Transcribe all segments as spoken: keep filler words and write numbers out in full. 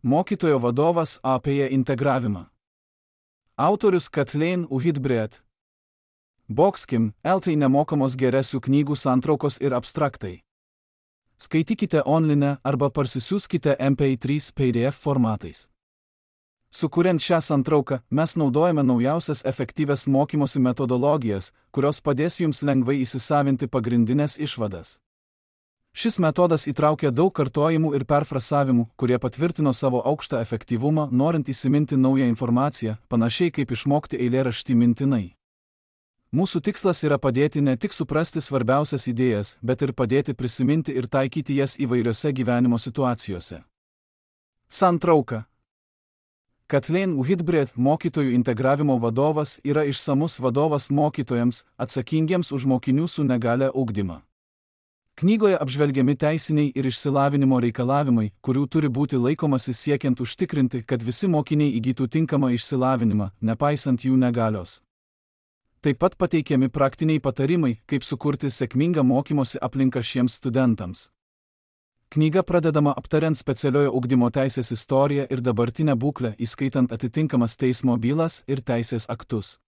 Mokytojo vadovas apie integravimą. Autorius Kathleen Whitbread. Boxkim, eltai nemokamos geresių knygų santraukos ir abstraktai. Skaitykite online arba parsisiųskite M P trys P D F formatais. Sukuriant šią santrauką, mes naudojame naujausias efektyvias mokymosi metodologijas, kurios padės jums lengvai įsisavinti pagrindinės išvadas. Šis metodas įtraukia daug kartojimų ir perfrasavimų, kurie patvirtino savo aukštą efektyvumą, norint įsiminti naują informaciją, panašiai kaip išmokti eilėraštį mintinai. Mūsų tikslas yra padėti ne tik suprasti svarbiausias idėjas, bet ir padėti prisiminti ir taikyti jas įvairiose gyvenimo situacijose. Santrauka. Kathleen Whitbread, mokytojų integravimo vadovas, yra išsamus vadovas mokytojams, atsakingiems už mokinių su negalia ugdymą. Knygoje apžvelgiami teisiniai ir išsilavinimo reikalavimai, kurių turi būti laikomasi siekiant užtikrinti, kad visi mokiniai įgytų tinkamą išsilavinimą, nepaisant jų negalios. Taip pat pateikiami praktiniai patarimai, kaip sukurti sėkmingą mokymosi aplinką šiems studentams. Knyga pradedama aptariant specialiojo ugdymo teisės istoriją ir dabartinę būklę, įskaitant atitinkamas teismo bylas ir teisės aktus.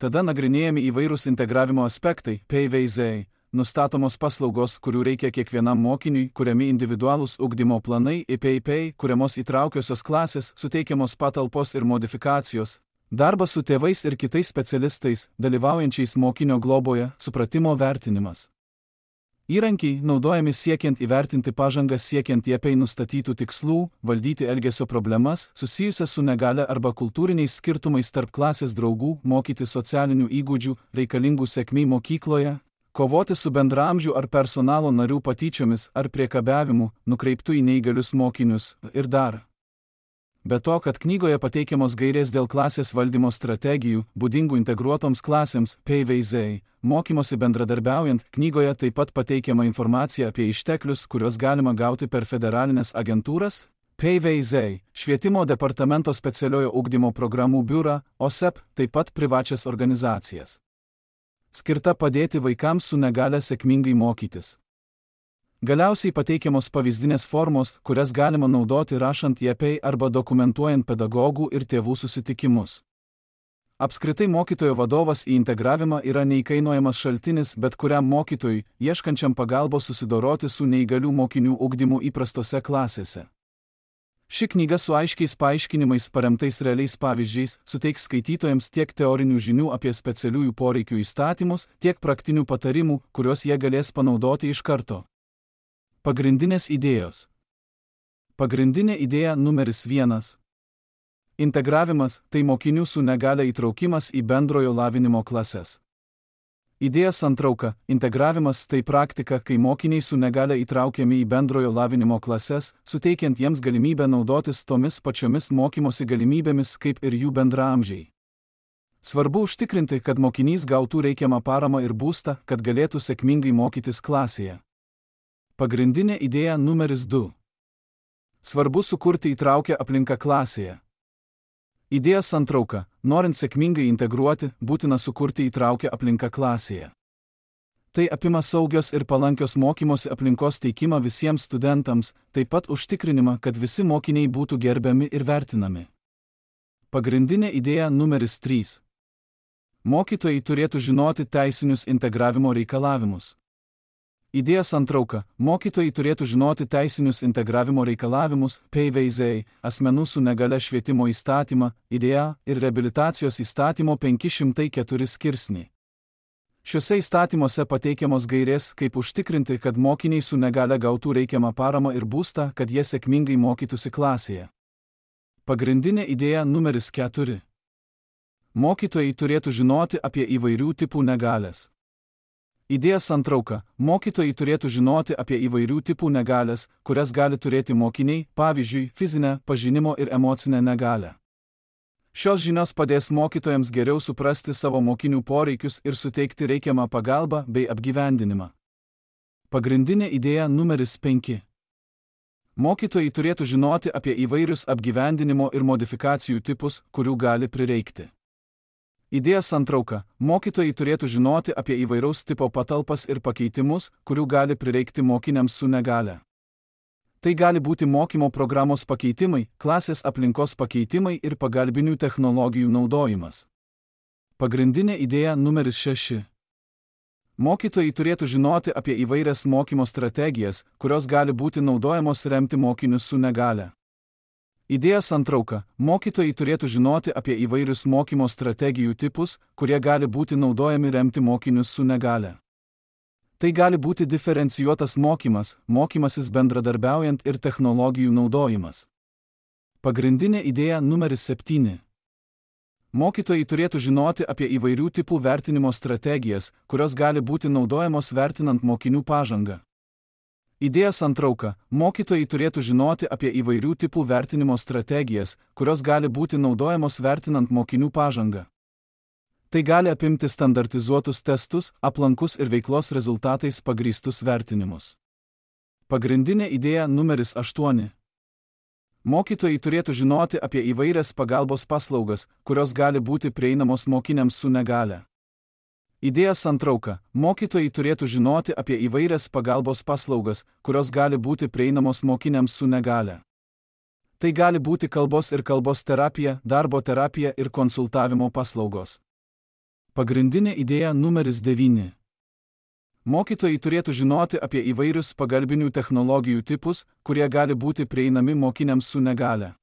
Tada nagrinėjami įvairūs integravimo aspektai, P V Z, nustatomos paslaugos, kurių reikia kiekvienam mokiniui, kuriami individualūs ugdymo planai, I P I P, kuriamos įtraukiosios klasės, suteikiamos patalpos ir modifikacijos, darbas su tėvais ir kitais specialistais, dalyvaujančiais mokinio globoje, supratimo vertinimas. Įrankiai naudojami siekiant įvertinti pažangą siekiant I P I nustatytų tikslų, valdyti elgesio problemas, susijusias su negalia arba kultūriniais skirtumais tarp klasės draugų, mokyti socialinių įgūdžių, reikalingų sėkmei mokykloje, kovoti su bendraamžių ar personalo narių patyčiomis ar priekabiavimu, nukreiptų į neįgalius mokinius ir dar. Be to, kad knygoje pateikiamos gairės dėl klasės valdymo strategijų, būdingų integruotoms klasėms, P V Z, mokymosi bendradarbiaujant, knygoje taip pat pateikiama informacija apie išteklius, kuriuos galima gauti per federalinės agentūras, P V Z, Švietimo departamento specialiojo ugdymo programų biurą, O S E P, taip pat privačias organizacijas. Skirta padėti vaikams su negalia sėkmingai mokytis. Galiausiai pateikiamos pavyzdinės formos, kurias galima naudoti rašant I P I arba dokumentuojant pedagogų ir tėvų susitikimus. Apskritai mokytojo vadovas į integravimą yra neįkainojamas šaltinis bet kuriam mokytojui, ieškančiam pagalbos susidoroti su neįgalių mokinių ugdymu įprastose klasėse. Ši knyga su aiškiais paaiškinimais paremtais realiais pavyzdžiais suteiks skaitytojams tiek teorinių žinių apie specialiųjų poreikių įstatymus, tiek praktinių patarimų, kuriuos jie galės panaudoti iš karto. Pagrindinės idėjos. Pagrindinė idėja numeris vienas. Integravimas – tai mokinių su negalia įtraukimas į bendrojo lavinimo klases. Idėja santrauka – integravimas – tai praktika, kai mokiniai su negalia įtraukiami į bendrojo lavinimo klases, suteikiant jiems galimybę naudotis tomis pačiomis mokymosi galimybėmis kaip ir jų bendraamžiai. Svarbu užtikrinti, kad mokinys gautų reikiamą paramą ir būstą, kad galėtų sėkmingai mokytis klasėje. Pagrindinė idėja numeris du. Svarbu sukurti įtraukę aplinką klasėje. Idėja santrauka – norint sėkmingai integruoti, būtina sukurti įtraukę aplinką klasėje. Tai apima saugios ir palankios mokymosi aplinkos teikimą visiems studentams, taip pat užtikrinimą, kad visi mokiniai būtų gerbiami ir vertinami. Pagrindinė idėja numeris trys. Mokytojai turėtų žinoti teisinius integravimo reikalavimus. Idėja santrauka – mokytojai turėtų žinoti teisinius integravimo reikalavimus, P V Z, asmenų su negalia švietimo įstatymą, idėja ir reabilitacijos įstatymo penki šimtai keturi skirsnį. Šiuose įstatymuose pateikiamos gairės, kaip užtikrinti, kad mokiniai su negalia gautų reikiamą paramą ir būstą, kad jie sėkmingai mokytųsi klasėje. Pagrindinė idėja numeris keturi. Mokytojai turėtų žinoti apie įvairių tipų negalias. Idėja santrauka – mokytojai turėtų žinoti apie įvairių tipų negalias, kurias gali turėti mokiniai, pavyzdžiui, fizinę, pažinimo ir emocinę negalią. Šios žinios padės mokytojams geriau suprasti savo mokinių poreikius ir suteikti reikiamą pagalbą bei apgyvendinimą. Pagrindinė idėja numeris penki. Mokytojai turėtų žinoti apie įvairius apgyvendinimo ir modifikacijų tipus, kurių gali prireikti. Idėja santrauka – mokytojai turėtų žinoti apie įvairaus tipo patalpas ir pakeitimus, kurių gali prireikti mokiniams su negalia. Tai gali būti mokymo programos pakeitimai, klasės aplinkos pakeitimai ir pagalbinių technologijų naudojimas. Pagrindinė idėja numeris šeši. Mokytojai turėtų žinoti apie įvairias mokymo strategijas, kurios gali būti naudojamos remti mokinius su negale. Idėja santrauka. Mokytojai turėtų žinoti apie įvairius mokymo strategijų tipus, kurie gali būti naudojami remti mokinius su negale. Tai gali būti diferencijuotas mokymas, mokymasis bendradarbiaujant ir technologijų naudojimas. Pagrindinė idėja numeris septyni. Mokytojai turėtų žinoti apie įvairių tipų vertinimo strategijas, kurios gali būti naudojamos vertinant mokinių pažangą. Idėja santrauka. Mokytojai turėtų žinoti apie įvairių tipų vertinimo strategijas, kurios gali būti naudojamos vertinant mokinių pažangą. Tai gali apimti standartizuotus testus, aplankus ir veiklos rezultatais pagrįstus vertinimus. Pagrindinė idėja numeris aštuoni. Mokytojai turėtų žinoti apie įvairias pagalbos paslaugas, kurios gali būti prieinamos mokiniams su negale. Idėja santrauka. Mokytojai turėtų žinoti apie įvairias pagalbos paslaugas, kurios gali būti prieinamos mokiniams su negale. Tai gali būti kalbos ir kalbos terapija, darbo terapija ir konsultavimo paslaugos. Pagrindinė idėja numeris devyni. Mokytojai turėtų žinoti apie įvairius pagalbinių technologijų tipus, kurie gali būti prieinami mokiniams su negale.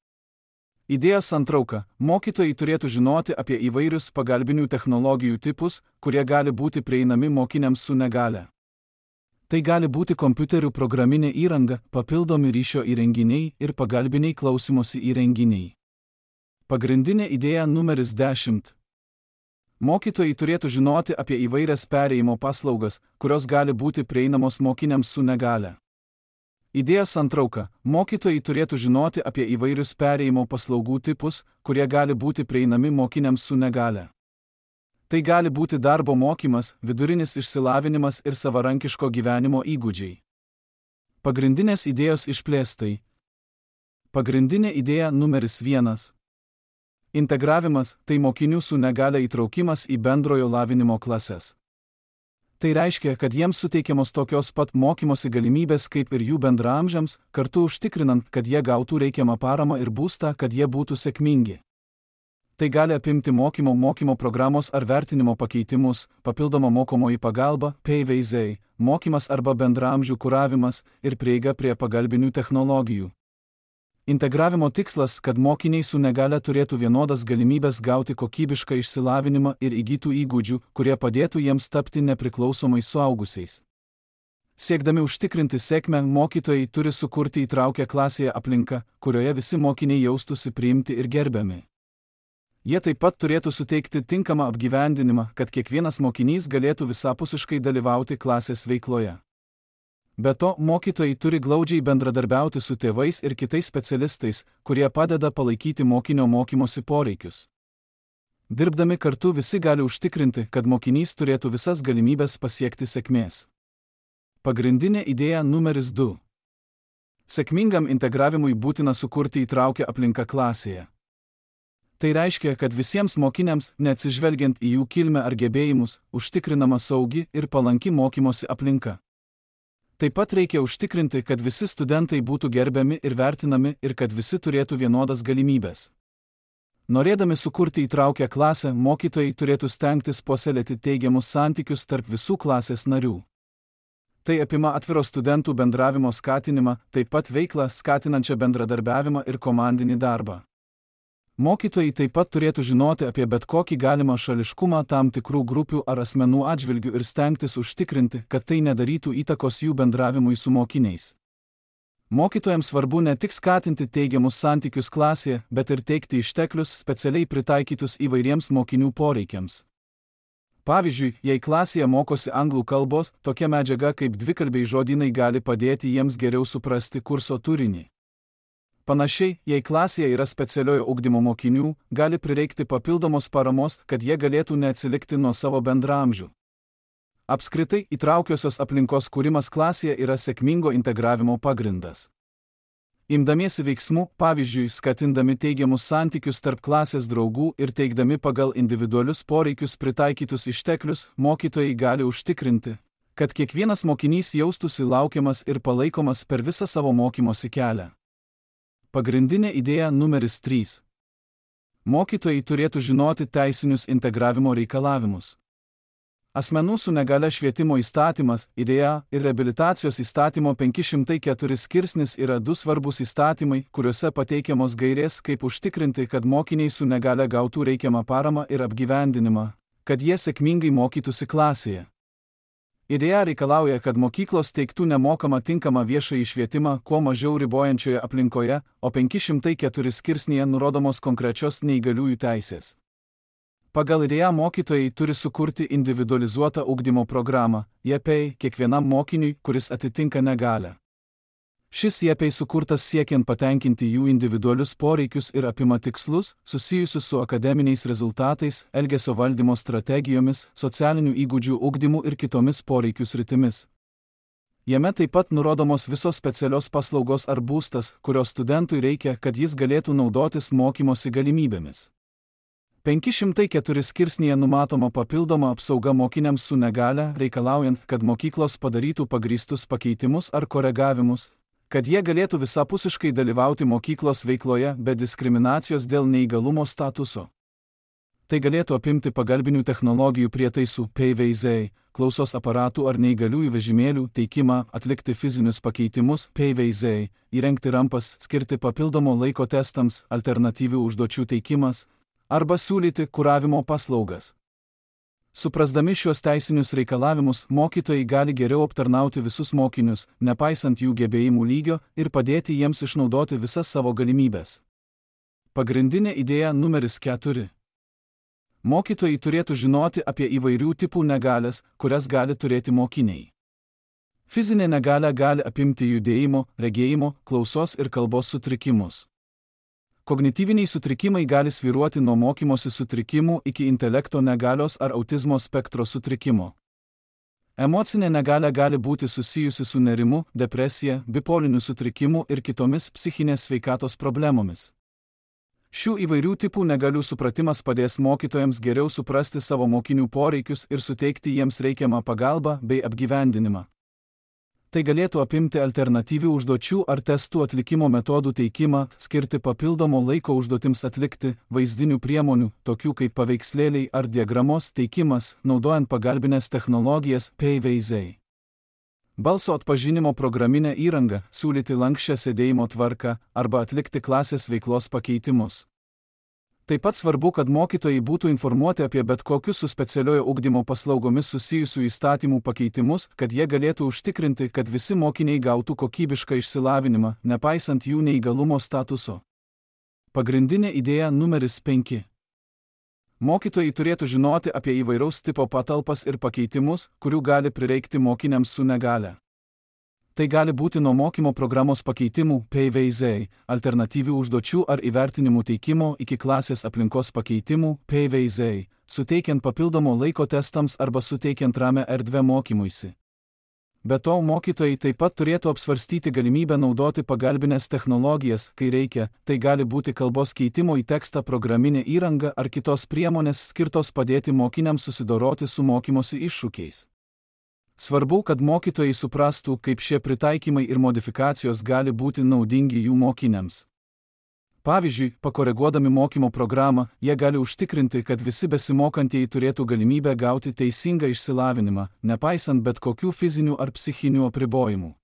Idėja santrauka. Mokytojai turėtų žinoti apie įvairius pagalbinių technologijų tipus, kurie gali būti prieinami mokiniams su negale. Tai gali būti kompiuterių programinė įranga, papildomi ryšio įrenginiai ir pagalbiniai klausymosi įrenginiai. Pagrindinė idėja numeris dešimt. Mokytojai turėtų žinoti apie įvairias perėjimo paslaugas, kurios gali būti prieinamos mokiniams su negale. Idėja santrauka. Mokytojai turėtų žinoti apie įvairius perėjimo paslaugų tipus, kurie gali būti prieinami mokiniams su negale. Tai gali būti darbo mokymas, vidurinis išsilavinimas ir savarankiško gyvenimo įgūdžiai. Pagrindinės idėjos išplėstai. Pagrindinė idėja numeris vienas. Integravimas – tai mokinių su negale įtraukimas į bendrojo lavinimo klases. Tai reiškia, kad jiems suteikiamos tokios pat mokymosi galimybės kaip ir jų bendraamžiams, kartu užtikrinant, kad jie gautų reikiamą paramą ir būstą, kad jie būtų sėkmingi. Tai gali apimti mokymo mokymo programos ar vertinimo pakeitimus, papildomą mokomoji pagalba, P V Z, mokymas arba bendraamžių kuravimas ir prieiga prie pagalbinių technologijų. Integravimo tikslas, kad mokiniai su negale turėtų vienodas galimybės gauti kokybišką išsilavinimą ir įgytų įgūdžių, kurie padėtų jiems tapti nepriklausomais suaugusiais. Siekdami užtikrinti sėkmę, mokytojai turi sukurti įtraukę klasėje aplinką, kurioje visi mokiniai jaustųsi priimti ir gerbiami. Jie taip pat turėtų suteikti tinkamą apgyvendinimą, kad kiekvienas mokinys galėtų visapusiškai dalyvauti klasės veikloje. Be to, mokytojai turi glaudžiai bendradarbiauti su tėvais ir kitais specialistais, kurie padeda palaikyti mokinio mokymosi poreikius. Dirbdami kartu visi gali užtikrinti, kad mokinys turėtų visas galimybės pasiekti sėkmės. Pagrindinė idėja numeris du. Sėkmingam integravimui būtina sukurti įtraukę aplinką klasėje. Tai reiškia, kad visiems mokiniams, neatsižvelgiant į jų kilmę ar gebėjimus, užtikrinama saugi ir palanki mokymosi aplinka. Taip pat reikia užtikrinti, kad visi studentai būtų gerbiami ir vertinami ir kad visi turėtų vienodas galimybės. Norėdami sukurti įtraukę klasę, mokytojai turėtų stengtis puoselėti teigiamus santykius tarp visų klasės narių. Tai apima atviro studentų bendravimo skatinimą, taip pat veiklą skatinančią bendradarbiavimą ir komandinį darbą. Mokytojai taip pat turėtų žinoti apie bet kokį galimą šališkumą tam tikrų grupių ar asmenų atžvilgių ir stengtis užtikrinti, kad tai nedarytų įtakos jų bendravimui su mokiniais. Mokytojams svarbu ne tik skatinti teigiamus santykius klasėje, bet ir teikti išteklius specialiai pritaikytus įvairiems mokinių poreikiams. Pavyzdžiui, jei klasėje mokosi anglų kalbos, tokia medžiaga kaip dvikalbiai žodynai gali padėti jiems geriau suprasti kurso turinį. Panašiai, jei klasėje yra specialiojo ugdymo mokinių, gali prireikti papildomos paramos, kad jie galėtų neatsilikti nuo savo bendraamžių. Apskritai, įtraukiosios aplinkos kūrimas klasėje yra sėkmingo integravimo pagrindas. Imdamiesi veiksmų, pavyzdžiui, skatindami teigiamus santykius tarp klasės draugų ir teikdami pagal individualius poreikius pritaikytus išteklius, mokytojai gali užtikrinti, Kad kiekvienas mokinys jaustųsi laukiamas ir palaikomas per visą savo mokymosi kelią. Pagrindinė idėja numeris trys. Mokytojai turėtų žinoti teisinius integravimo reikalavimus. Asmenų su negalia švietimo įstatymas, idėja ir reabilitacijos įstatymo penki šimtai keturi skirsnis yra du svarbus įstatymai, kuriuose pateikiamos gairės, kaip užtikrinti, kad mokiniai su negalia gautų reikiamą paramą ir apgyvendinimą, kad jie sėkmingai mokytųsi klasėje. Idėja reikalauja, kad mokyklos teiktų nemokamą tinkamą viešąjį švietimą kuo mažiau ribojančioje aplinkoje, o penki šimtai keturi skirsnyje nurodomos konkrečios neįgaliųjų teisės. Pagal idėją mokytojai turi sukurti individualizuotą ugdymo programą, I E P, kiekvienam mokiniui, kuris atitinka negalią. Šis I E P sukurtas siekiant patenkinti jų individualius poreikius ir apima tikslus, susijusius su akademiniais rezultatais, elgesio valdymo strategijomis, socialinių įgūdžių ugdymu ir kitomis poreikių sritimis. Jame taip pat nurodomos visos specialios paslaugos ar būstas, kurios studentui reikia, kad jis galėtų naudotis mokymosi galimybėmis. penki šimtai keturi skirsnyje numatoma papildoma apsauga mokiniams su negalia, reikalaujant, kad mokyklos padarytų pagrįstus pakeitimus ar koregavimus, kad jie galėtų visapusiškai dalyvauti mokyklos veikloje be diskriminacijos dėl neįgalumo statuso. Tai galėtų apimti pagalbinių technologijų prietaisų P V Z, klausos aparatų ar neįgaliųjų vežimėlių teikimą, atlikti fizinius pakeitimus P V Z, įrengti rampas, skirti papildomo laiko testams, alternatyvių užduočių teikimas, arba siūlyti kuravimo paslaugas. Suprasdami šiuos teisinius reikalavimus, mokytojai gali geriau aptarnauti visus mokinius, nepaisant jų gebėjimų lygio, ir padėti jiems išnaudoti visas savo galimybes. Pagrindinė idėja numeris keturi. Mokytojai turėtų žinoti apie įvairių tipų negalias, kurias gali turėti mokiniai. Fizinė negalia gali apimti judėjimo, regėjimo, klausos ir kalbos sutrikimus. Kognityviniai sutrikimai gali svyruoti nuo mokymosi sutrikimų iki intelekto negalios ar autizmo spektro sutrikimo. Emocinė negalia gali būti susijusi su nerimu, depresija, bipoliniu sutrikimu ir kitomis psichinės sveikatos problemomis. Šių įvairių tipų negalių supratimas padės mokytojams geriau suprasti savo mokinių poreikius ir suteikti jiems reikiamą pagalbą bei apgyvendinimą. Tai galėtų apimti alternatyvių užduočių ar testų atlikimo metodų teikimą, skirti papildomo laiko užduotims atlikti, vaizdinių priemonių, tokių kaip paveikslėliai ar diagramos teikimas, naudojant pagalbinės technologijas P V Z. Balso atpažinimo programinę įrangą, siūlyti lanksčią sėdėjimo tvarką arba atlikti klasės veiklos pakeitimus. Taip pat svarbu, kad mokytojai būtų informuoti apie bet kokius su specialiojo ugdymo paslaugomis susijusių įstatymų pakeitimus, kad jie galėtų užtikrinti, kad visi mokiniai gautų kokybišką išsilavinimą, nepaisant jų neįgalumo statuso. Pagrindinė idėja numeris penki. Mokytojai turėtų žinoti apie įvairaus tipo patalpas ir pakeitimus, kurių gali prireikti mokiniams su negalia. Tai gali būti nuo mokymo programos pakeitimų P V Z, alternatyvių užduočių ar įvertinimų teikimo iki klasės aplinkos pakeitimų P V Z, suteikiant papildomo laiko testams arba suteikiant ramią erdvę mokymuisi. Be to, mokytojai taip pat turėtų apsvarstyti galimybę naudoti pagalbinės technologijas, kai reikia, tai gali būti kalbos keitimo į tekstą programinė įranga ar kitos priemonės skirtos padėti mokiniams susidoroti su mokymosi iššūkiais. Svarbu, kad mokytojai suprastų, kaip šie pritaikymai ir modifikacijos gali būti naudingi jų mokiniams. Pavyzdžiui, pakoreguodami mokymo programą, jie gali užtikrinti, kad visi besimokantieji turėtų galimybę gauti teisingą išsilavinimą, nepaisant bet kokių fizinių ar psichinių apribojimų.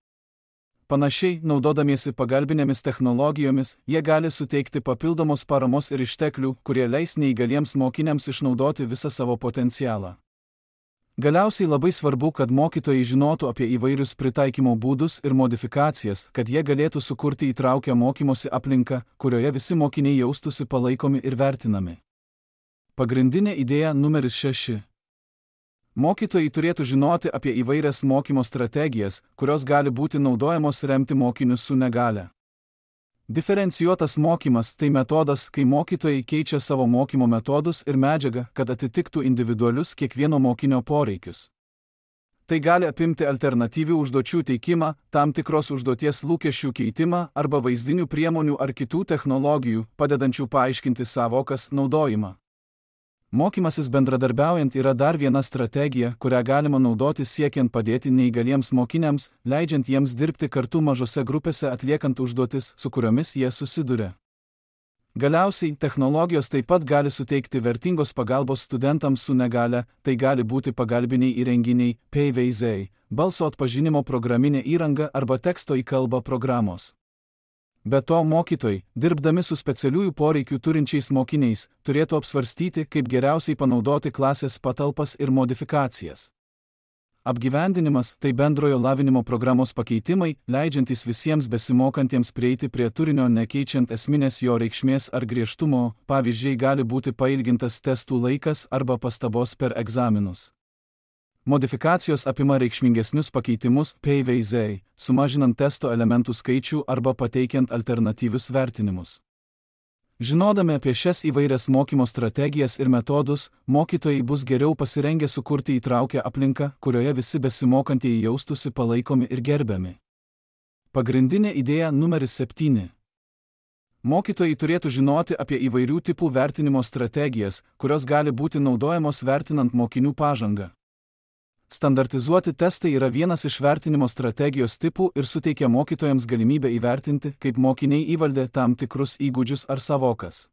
Panašiai, naudodamiesi pagalbinėmis technologijomis, jie gali suteikti papildomos paramos ir išteklių, kurie leis neįgaliems mokiniams išnaudoti visą savo potencialą. Galiausiai labai svarbu, kad mokytojai žinotų apie įvairius pritaikymo būdus ir modifikacijas, kad jie galėtų sukurti įtraukę mokymosi aplinką, kurioje visi mokiniai jaustųsi palaikomi ir vertinami. Pagrindinė idėja numeris šeši. Mokytojai turėtų žinoti apie įvairias mokymo strategijas, kurios gali būti naudojamos remti mokinius su negalia. Diferencijuotas mokymas – tai metodas, kai mokytojai keičia savo mokymo metodus ir medžiagą, kad atitiktų individualius kiekvieno mokinio poreikius. Tai gali apimti alternatyvių užduočių teikimą, tam tikros užduoties lūkesčių keitimą arba vaizdinių priemonių ar kitų technologijų, padedančių paaiškinti savokas naudojimą. Mokymasis bendradarbiaujant yra dar viena strategija, kurią galima naudoti siekiant padėti neįgaliems mokiniams, leidžiant jiems dirbti kartu mažose grupėse atliekant užduotis, su kuriomis jie susiduria. Galiausiai, technologijos taip pat gali suteikti vertingos pagalbos studentams su negalia, tai gali būti pagalbiniai įrenginiai, paveiziai, balso atpažinimo programinė įranga arba teksto į kalbą programos. Be to, mokytojai, dirbdami su specialiųjų poreikių turinčiais mokiniais, turėtų apsvarstyti, kaip geriausiai panaudoti klasės patalpas ir modifikacijas. Apgyvendinimas – tai bendrojo lavinimo programos pakeitimai, leidžiantys visiems besimokantiems prieiti prie turinio nekeičiant esminės jo reikšmės ar griežtumo, pavyzdžiui, gali būti pailgintas testų laikas arba pastabos per egzaminus. Modifikacijos apima reikšmingesnius pakeitimus, paveiziai, sumažinant testo elementų skaičių arba pateikiant alternatyvius vertinimus. Žinodami apie šias įvairias mokymo strategijas ir metodus, mokytojai bus geriau pasirengę sukurti įtraukę aplinką, kurioje visi besimokantieji jaustųsi palaikomi ir gerbiami. Pagrindinė idėja numeris septyni. Mokytojai turėtų žinoti apie įvairių tipų vertinimo strategijas, kurios gali būti naudojamos vertinant mokinių pažangą. Standartizuoti testai yra vienas iš vertinimo strategijos tipų ir suteikia mokytojams galimybę įvertinti, kaip mokiniai įvaldė tam tikrus įgūdžius ar savokas.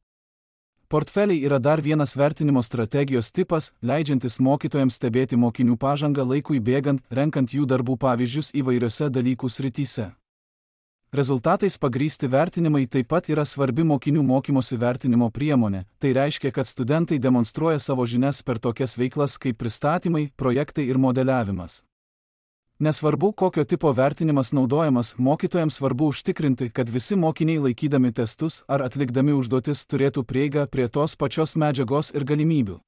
Portfeliai yra dar vienas vertinimo strategijos tipas, leidžiantis mokytojams stebėti mokinių pažangą laikui bėgant, renkant jų darbų pavyzdžius įvairiose dalykų srityse. Rezultatais pagrįsti vertinimai taip pat yra svarbi mokinių mokymosi vertinimo priemonė, tai reiškia, kad studentai demonstruoja savo žinias per tokias veiklas kaip pristatymai, projektai ir modeliavimas. Nesvarbu, kokio tipo vertinimas naudojamas, mokytojams svarbu užtikrinti, kad visi mokiniai laikydami testus ar atlikdami užduotis turėtų prieigą prie tos pačios medžiagos ir galimybių.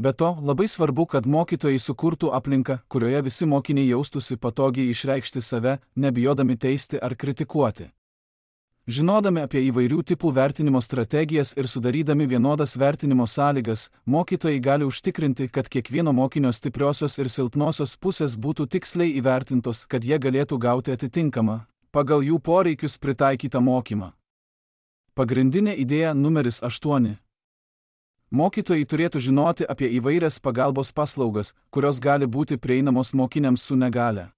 Be to, labai svarbu, kad mokytojai sukurtų aplinką, kurioje visi mokiniai jaustųsi patogiai išreikšti save, nebijodami teisti ar kritikuoti. Žinodami apie įvairių tipų vertinimo strategijas ir sudarydami vienodas vertinimo sąlygas, mokytojai gali užtikrinti, kad kiekvieno mokinio stipriosios ir silpnosios pusės būtų tiksliai įvertintos, kad jie galėtų gauti atitinkamą, pagal jų poreikius pritaikytą mokymą. Pagrindinė idėja numeris aštuoni. Mokytojai turėtų žinoti apie įvairias pagalbos paslaugas, kurios gali būti prieinamos mokiniams su negalia.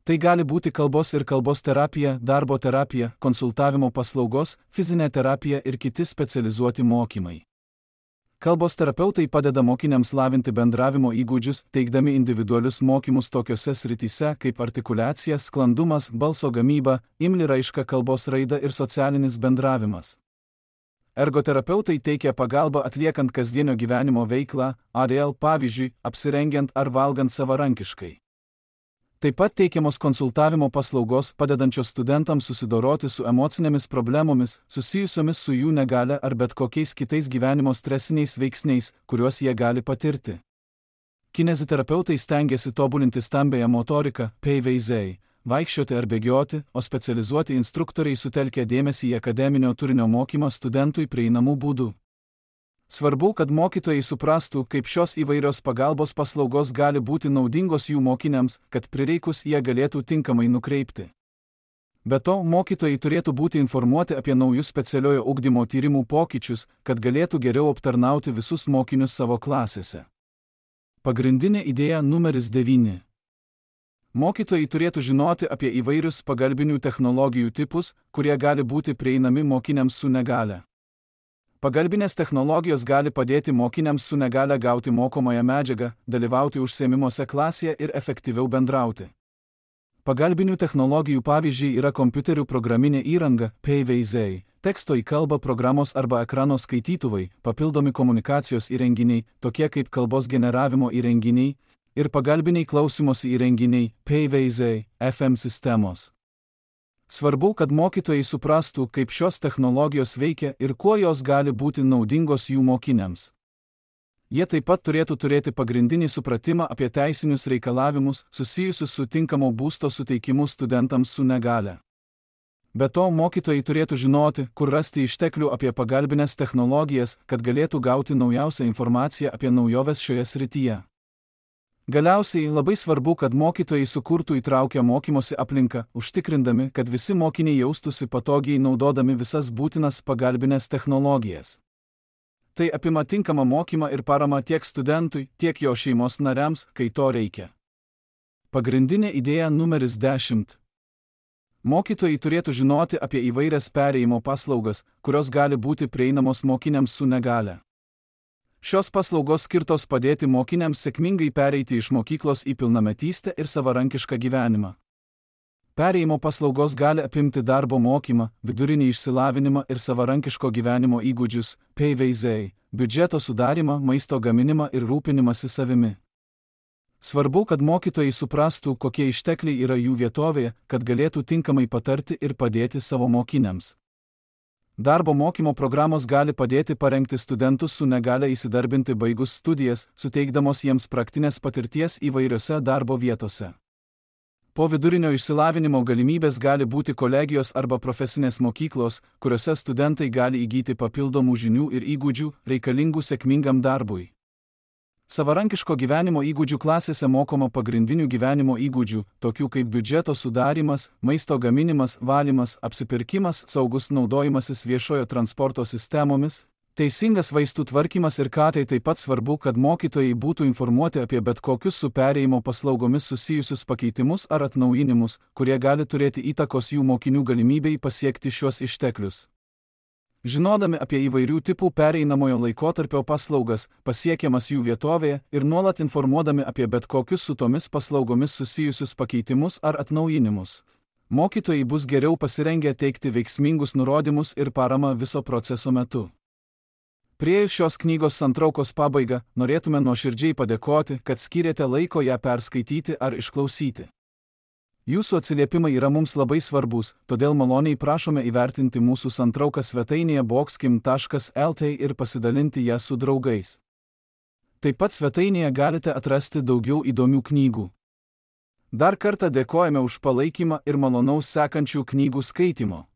Tai gali būti kalbos ir kalbos terapija, darbo terapija, konsultavimo paslaugos, fizinė terapija ir kiti specializuoti mokymai. Kalbos terapeutai padeda mokiniams lavinti bendravimo įgūdžius, teikdami individualius mokymus tokiose srityse kaip artikuliacija, sklandumas, balso gamyba, imli raiška, kalbos raida ir socialinis bendravimas. Ergoterapeutai teikia pagalbą atliekant kasdienio gyvenimo veiklą, adėl, pavyzdžiui, apsirengiant ar valgant savarankiškai. Taip pat teikiamos konsultavimo paslaugos, padedančios studentams susidoroti su emocinėmis problemomis, susijusiomis su jų negalia ar bet kokiais kitais gyvenimo stresiniais veiksniais, kuriuos jie gali patirti. Kineziterapeutai stengiasi tobulinti stambiąją motoriką, paveiziai, vaikščioti ar bėgioti, o specializuoti instruktoriai sutelkia dėmesį į akademinio turinio mokymą studentui prieinamų būdų. Svarbu, kad mokytojai suprastų, kaip šios įvairios pagalbos paslaugos gali būti naudingos jų mokiniams, kad prireikus jie galėtų tinkamai nukreipti. Be to, mokytojai turėtų būti informuoti apie naujus specialiojo ugdymo tyrimų pokyčius, kad galėtų geriau aptarnauti visus mokinius savo klasėse. Pagrindinė idėja numeris devyni. Mokytojai turėtų žinoti apie įvairius pagalbinių technologijų tipus, kurie gali būti prieinami mokiniams su negalia. Pagalbinės technologijos gali padėti mokiniams su negalia gauti mokomąją medžiagą, dalyvauti užsiėmimuose klasėje ir efektyviau bendrauti. Pagalbinių technologijų pavyzdžiai yra kompiuterių programinė įranga, paveiziai, teksto į kalbą programos arba ekrano skaitytuvai, papildomi komunikacijos įrenginiai, tokie kaip kalbos generavimo įrenginiai, ir pagalbiniai klausymosi įrenginiai, paveiziai, F M sistemos. Svarbu, kad mokytojai suprastų, kaip šios technologijos veikia ir kuo jos gali būti naudingos jų mokiniams. Jie taip pat turėtų turėti pagrindinį supratimą apie teisinius reikalavimus susijusius su tinkamo būsto suteikimu studentams su negalia. Be to, mokytojai turėtų žinoti, kur rasti išteklių apie pagalbinės technologijas, kad galėtų gauti naujausią informaciją apie naujoves šioje srityje. Galiausiai labai svarbu, kad mokytojai sukurtų įtraukę mokymosi aplinką, užtikrindami, kad visi mokiniai jaustųsi patogiai naudodami visas būtinas pagalbinės technologijas. Tai apima tinkamą mokymą ir paramą tiek studentui, tiek jo šeimos nariams, kai to reikia. Pagrindinė idėja numeris dešimt. Mokytojai turėtų žinoti apie įvairias perėjimo paslaugas, kurios gali būti prieinamos mokiniams su negale. Šios paslaugos skirtos padėti mokiniams sėkmingai pereiti iš mokyklos į pilnametystę ir savarankišką gyvenimą. Perėjimo paslaugos gali apimti darbo mokymą, vidurinį išsilavinimą ir savarankiško gyvenimo įgūdžius, P V Z, biudžeto sudarimą, maisto gaminimą ir rūpinimąsi savimi. Svarbu, kad mokytojai suprastų, kokie ištekliai yra jų vietovėje, kad galėtų tinkamai patarti ir padėti savo mokiniams. Darbo mokymo programos gali padėti parengti studentus su negale įsidarbinti baigus studijas, suteikdamos jiems praktinės patirties įvairiose darbo vietose. Po vidurinio išsilavinimo galimybės gali būti kolegijos arba profesinės mokyklos, kuriuose studentai gali įgyti papildomų žinių ir įgūdžių, reikalingų sėkmingam darbui. Savarankiško gyvenimo įgūdžių klasėse mokoma pagrindinių gyvenimo įgūdžių, tokių kaip biudžeto sudarymas, maisto gaminimas, valymas, apsipirkimas, saugus naudojimasis viešojo transporto sistemomis, teisingas vaistų tvarkymas ir ką tai taip pat svarbu, kad mokytojai būtų informuoti apie bet kokius su perėjimo paslaugomis susijusius pakeitimus ar atnaujinimus, kurie gali turėti įtakos jų mokinių galimybei pasiekti šiuos išteklius. Žinodami apie įvairių tipų pereinamojo laikotarpio paslaugas, pasiekiamas jų vietovėje ir nuolat informuodami apie bet kokius su tomis paslaugomis susijusius pakeitimus ar atnaujinimus, mokytojai bus geriau pasirengę teikti veiksmingus nurodymus ir paramą viso proceso metu. Priėjus šios knygos santraukos pabaigą, norėtume nuoširdžiai padėkoti, kad skyrėte laiko ją perskaityti ar išklausyti. Jūsų atsiliepimai yra mums labai svarbus, todėl maloniai prašome įvertinti mūsų santrauką svetainėje boxkim taškas el t ir pasidalinti ją su draugais. Taip pat svetainėje galite atrasti daugiau įdomių knygų. Dar kartą dėkojame už palaikymą ir malonaus sekančių knygų skaitimo.